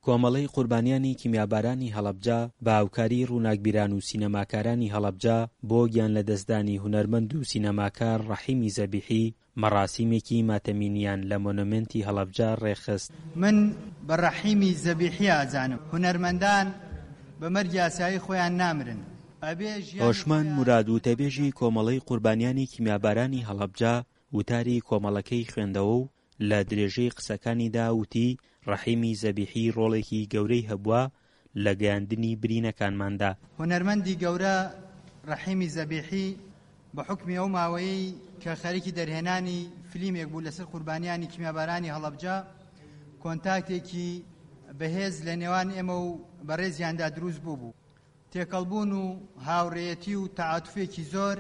کۆمەڵەی قوربانیانی کیمیابارانی هەڵەبجە بە هاوکاری ڕووناکبیران و سینەماکارانی هەڵەبجە بۆ گیانلەدەستدانی هونەرمەند و سینەماکار ڕەحیمی زەبیحی مەڕاسیمێکی ماتەمینیان لە مۆنۆمێنتی هەڵەبجە ڕێکخست. من بە ڕەحیمی زەبیحی ئەزانم هونەرمەندان بە مەرگی ئاسایی خۆیان نامرن ئەبێ ژیانی هۆشمەند خۆیان موراد وتەبێژی کۆمەڵەی قوربانیانی کیمیابارانی هەڵەبجە وتاری کۆمەڵەکەی خوێندەوە و لە درێژەی قسەکانیدا وتی، ڕەحیمی زەبیحی ڕۆڵێکی گەورەی هەبووە لە گەیاندنی برینەکانماندا. هونەرمەندی گەورە ڕەحیمی زەبیحی بە حوکمی ئەو ماوەیەی کە خەریکی دەرهێنانی فلیمێک بوو لەسەر قوربانیانی کیمیابارانی هەڵەبجە، کۆنتاکتێکی بەهێز لە نێوان ئێمە و بەڕێزیاندا دروست بووبوو. تێکەڵبوون و هاوڕێیەتی و تەعاتوفێکی زۆر،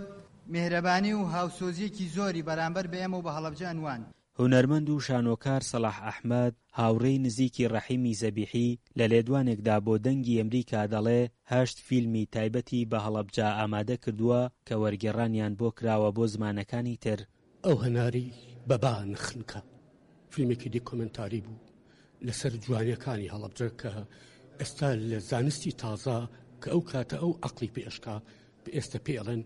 میهرەبانی و هاوسۆزییەکی زۆری بەرامبەر بە ئێمە و بە هەڵەبجە ئەنواند. هونەرمەند و شانۆکار سەڵاح ئەحمەد، هاوڕێی نزیکی ڕەحیمی زەبیحی، لە لێدوانێکدا بۆ دەنگی ئەمریکا دەڵێ هەشت فیلمی تایبەتی بە هەڵەبجە ئامادە کردووە کە وەرگێڕانیان بۆ کراوە بۆ زمانەکانی تر. ئەو هەناری بە با نخنکا فیلمێکی دیکۆمێنتاری بوو لەسەر جوانیەکانی هەڵەبجە کە ئێستا لە زانستی تازە کە ئەو کاتە ئەو عقلی پێ ئەشکا ئێستا پێ ئەڵێن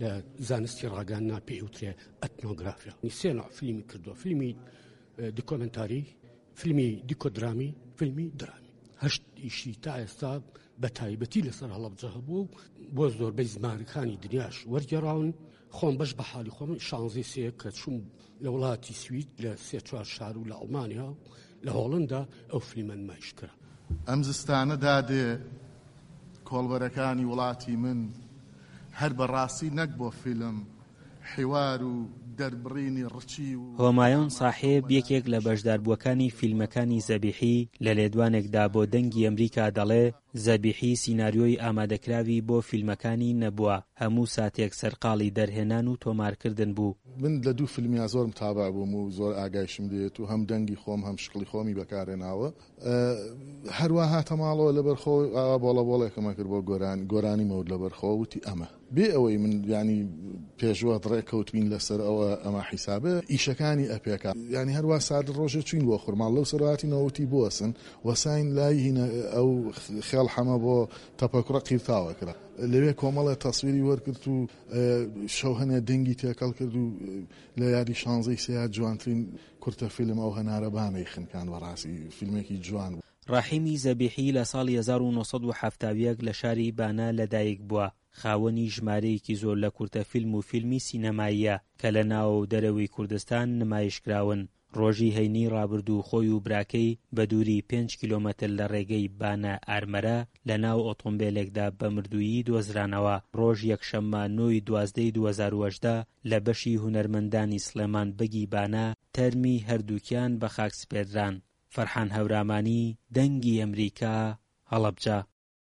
لە زانستی ڕاگەیاندنا پێ ئەوترێ ئەتنۆگرافیا سێ نوع فیلمی کردووە فیلمی دیکۆمنتاری فیلمی دیکۆدرامی فیلمی درامی هەشت ئیشی تا ئێستا بە تایبەتی لەسەر هەڵەبجە هەبوو و بۆ زۆربەی زمانەکانی دنیاش وەرگێڕاون خۆم بەش بە حاڵی خۆم شانزەی سێ کە چووم لە وڵاتی سوید لە سێ چوار شار و لە ئەڵمانیا و لە هۆڵندا ئەو فلیمە نمایش کرا. ئەم زستانە دادێ کۆڵبەرەکانی وڵاتی من هەر بە ڕاستی نەک بۆ فیلم، حیوار و دەربڕینی ڕچی و هۆمایۆن ڕامان ساحێب یەکێک لە کۆمەلایەتیشی. بەشداربووەکانی فیلمەکانی زەبیحی لە لێدوانێکدا بۆ دەنگی ئەمریکا دەڵێ زەبیحی سیناریۆی ئامادەکراوی بۆ فیلمەکانی نەبووە، هەموو ساتێک سەرقاڵی دەرهێنان و تۆمارکردن بوو. من لە دوو فیلمیا زۆر متابع بووم و زۆر ئاگایشم لێیەت و هەم دەنگی خۆم هەم شکڵی خۆمی بەکارهێناوە. هەروا هاتە ماڵەوە لەبەر خۆ ئاوا بۆڵە بۆڵێکم ئەکرد بۆ گۆرانی گۆرانی مەوت لەبەر خۆ وتی ئەمە بێ ئەوەی من یانی پێشوەخت ڕێکەوتبین لەسەر ئەوە ئەمە حیسابە ئیشەکانی ئەپێکا یانی هەروا سادە ڕۆژێ چوین بۆ خورماڵ لەو سەر هاتینەوە وتی بوەسن وەساین لای هینە ئەو خێڵ حەمە بۆ تەپەکوڕە قیرتاو ئەکرا لەوێ کۆمەڵێ تەسویری وەرگرت و شەو هەنێ دەنگی تێکەڵ کرد و لە یادی شانزەی سێیا جوانترین کورتە فیلم ئەو هەنارە بانەی خنکان بەڕاستی فیلمێکی جوان بوو. ڕەحیمی زەبیحی لە ساڵی 1971 لە شاری بانە لەدایک بووە، خاوەنی ژمارەیەکی زۆر لە کورتە فیلم و فیلمی سینەماییە کە لە ناوە و دەرەوەی کوردستان نمایشکراون. ڕۆژی هەینیی ڕابردوو خۆی و براکەی بە دووری پێنج کیلۆمەتر لە ڕێگەی بانە ئارمەرە لە ناو ئۆتۆمبێلێکدا بە مردوویی دۆزرانەوە، ڕۆژ یەکشەممە نۆ ی 12 ی 2018 لە بەشی هونەرمەندانی سڵێمان بەگی بانە تەرمی هەردووکیان بە خاک سپێردران. فەرحان هەورامانی، دەنگی ئەمریکا، هەڵەبجە.